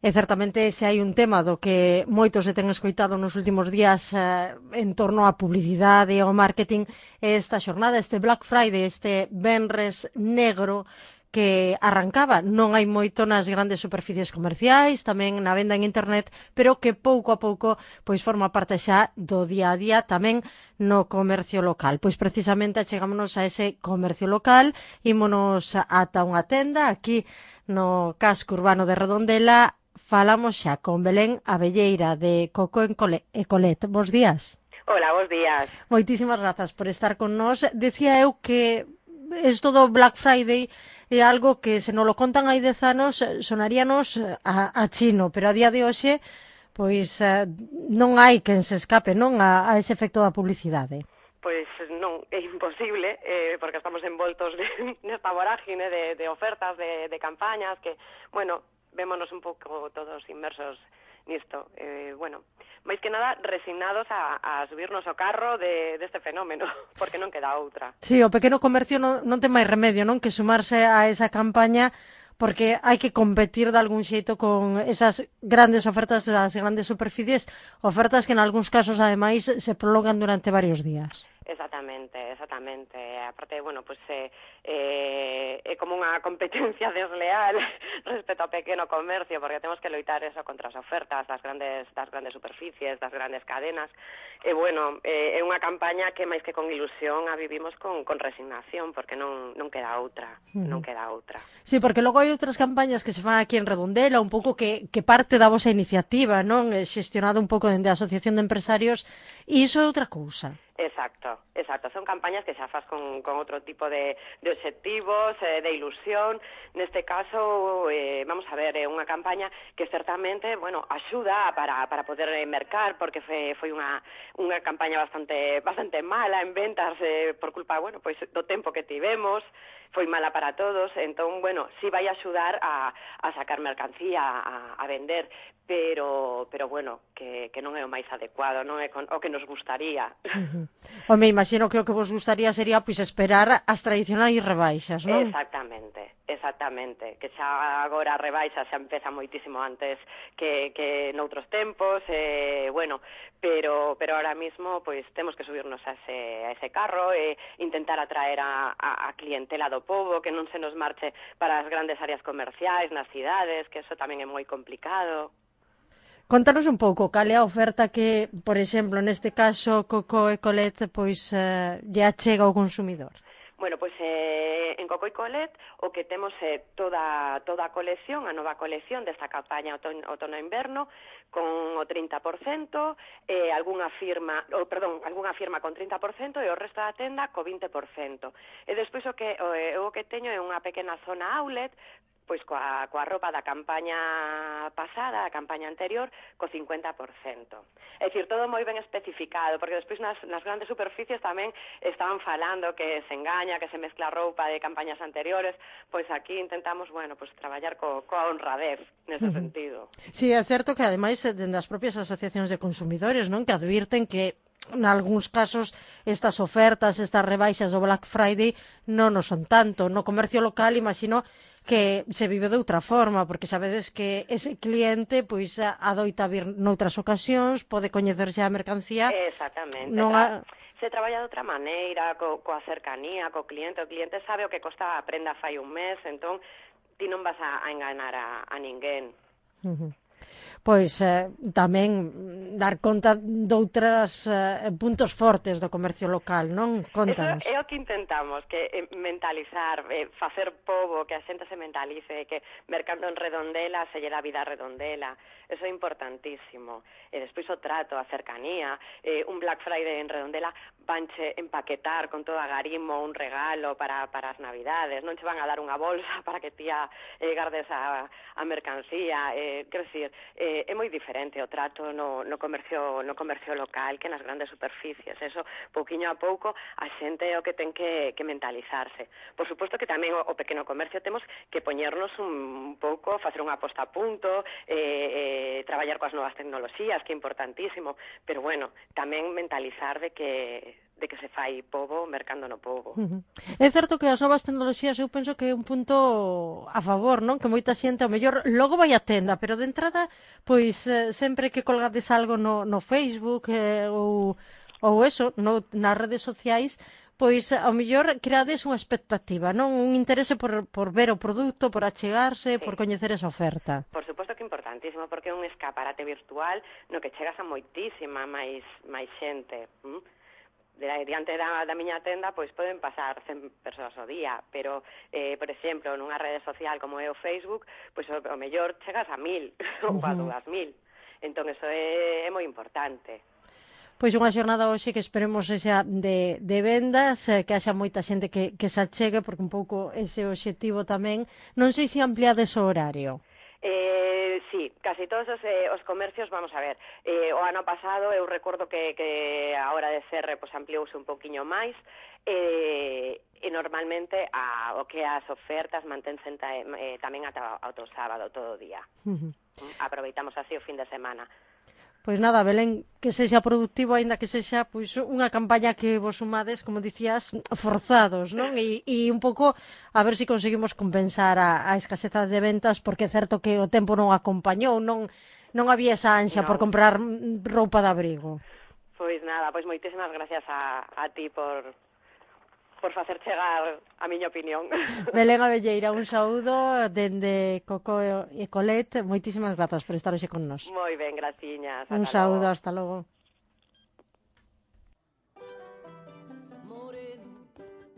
E certamente se hai un tema do que moitos se ten escoitado nos últimos días en torno á publicidade e ao marketing é esta xornada, este Black Friday, este venres negro que arrancaba non hai moito nas grandes superficies comerciais, tamén na venda en internet, pero que pouco a pouco pois forma parte xa do día a día tamén no comercio local. Pois precisamente achegámonos a ese comercio local, ímonos ata unha tenda aquí no casco urbano de Redondela. Falamos xa con Belén Abelleira de Coco e Colet. Bos días. Hola, bos días. Moitísimas grazas por estar con nós. Decía eu que isto do Black Friday é algo que se nos lo contan hai 10 anos sonaríanos a chino, pero a día de hoxe pois non hai quen se escape, non, a ese efecto da publicidade. Pois non, é imposible, porque estamos envoltos nesta vorágine de ofertas, de campañas, que, bueno, vémonos un pouco todos inmersos nisto. Bueno, máis que nada resignados a subirnos ao carro deste fenómeno, porque non queda outra. Sí, o pequeno comercio non ten máis remedio, non, que sumarse a esa campaña, porque hai que competir de algún xeito con esas grandes ofertas das grandes superficies, ofertas que en algúns casos, ademais, se prolongan durante varios días. Exactamente. Aparte, bueno, pues é como unha competencia desleal respecto ao pequeno comercio, porque temos que loitar eso contra as ofertas das grandes superficies, das grandes cadenas. E, bueno, é unha campaña que máis que con ilusión a vivimos con resignación, porque non queda outra, non queda outra. Sí, porque logo hai outras campañas que se fan aquí en Redondela, un pouco que parte da vosa iniciativa, non? Xestionada un pouco dende a Asociación de Empresarios, e iso é outra cousa. Exacto. Son campañas que xa faz con outro tipo de obxectivos, de ilusión. Neste caso, vamos a ver, é unha campaña que certamente, bueno, axuda para poder mercar, porque foi unha campaña bastante mala en ventas por culpa, bueno, pois do tempo que tivemos, foi mala para todos, entón, bueno, sí vai axudar a sacar mercancía, a vender, pero bueno, que non é o máis adecuado, non é o que nos gustaría. Home, imagino que o que vos gustaría sería pois esperar as tradicionais rebaixas, non? Exactamente, que xa agora a rebaixa xa empeza moitísimo antes que noutros tempos, bueno, pero ahora mismo pois temos que subirnos a ese carro e intentar atraer a clientela do pobo, que non se nos marche para as grandes áreas comerciais nas cidades, que eso tamén é moi complicado. Contanos un pouco cal é a oferta que, por exemplo, neste caso Coco e Colet, pois lle achega ao consumidor. Bueno, pois en Coco e Colet o que temos é toda a colección, a nova colección desta campaña outono-inverno con o 30%, algunha firma con 30% e o resto da tenda co 20%. E despois o que teño é unha pequena zona outlet pois coa roupa da campaña pasada, a campaña anterior, co 50%. É dicir, todo moi ben especificado, porque despois nas grandes superficies tamén estaban falando que se engaña, que se mezcla roupa de campañas anteriores, pois aquí intentamos, bueno, pois traballar coa honradez nese sentido. Sí, é certo que ademais dende as propias asociacións de consumidores, non, que advirten que en algúns casos estas ofertas, estas rebaixas do Black Friday non son tanto. No comercio local, imagino que se vive de outra forma, porque sabedes que ese cliente pois adoita vir noutras ocasións, pode coñecerse a mercancía. Exactamente. Se traballa de outra maneira, coa cercanía, co cliente. O cliente sabe o que costa a prenda fai un mes, entón ti non vas a enganar a ninguén. Pois tamén dar conta doutras puntos fortes do comercio local, non? Contanos. Eso é o que intentamos, que mentalizar, facer pobo, que a xente se mentalice, que mercando en Redondela se lle dá vida a Redondela. Eso é importantísimo. E despois o trato, a cercanía, un Black Friday en Redondela vanche empaquetar con todo agarimo un regalo para as Navidades, non che van a dar unha bolsa para que ti gardes a mercancía, quero dicir, é moi diferente o trato no comercio local que nas grandes superficies. Eso, pouquiño a pouco, a xente é o que ten que mentalizarse. Por suposto que tamén o pequeno comercio temos que poñernos un pouco, facer unha posta a punto, traballar coas novas tecnoloxías, que é importantísimo, pero bueno, tamén mentalizar de que de que se fai pobo mercando no pobo. É certo que as novas tecnoloxías eu penso que é un punto a favor, non? Que moita xente, ao mellor, logo vai á tenda, pero de entrada, pois, sempre que colgades algo no Facebook ou eso, nas redes sociais, pois, ao mellor, creades unha expectativa, non? Un interese por ver o produto, por achegarse, Sí. por coñecer esa oferta. Por suposto que é importantísimo, porque é un escaparate virtual no que chegas a moitísima máis xente. Diante da miña tenda, pois poden pasar 100 persoas ao día, pero, por exemplo, nunha rede social como é o Facebook, pois ao mellor chegas a 1000 ou a 2000. Entón, eso é moi importante. Pois unha xornada hoxe que esperemos xa de vendas, que haxa moita xente que se achegue, porque un pouco ese objetivo tamén. Non sei se ampliades o horario. Sí, casi todos os comercios, vamos a ver, o ano pasado eu recordo que a hora de cerre pues, ampliouse un poquinho máis, e normalmente o que as ofertas mantense tamén ata o sábado todo o día. Aproveitamos así o fin de semana. Pois nada, Belén, que sexa productivo, aínda que sexa pois unha campaña que vos sumades, como dicías, forzados, non? E un pouco a ver se conseguimos compensar a escaseza de ventas, porque é certo que o tempo non acompañou, non había esa ansia por comprar roupa de abrigo. Pois nada, pois moitísimas gracias a ti por facer chegar a miña opinión. Belén Abelleira, un saúdo dende Coco e Colet. Moitísimas grazas por estar hoxe con nós. Moi ben, graciñas. Un saúdo, hasta logo.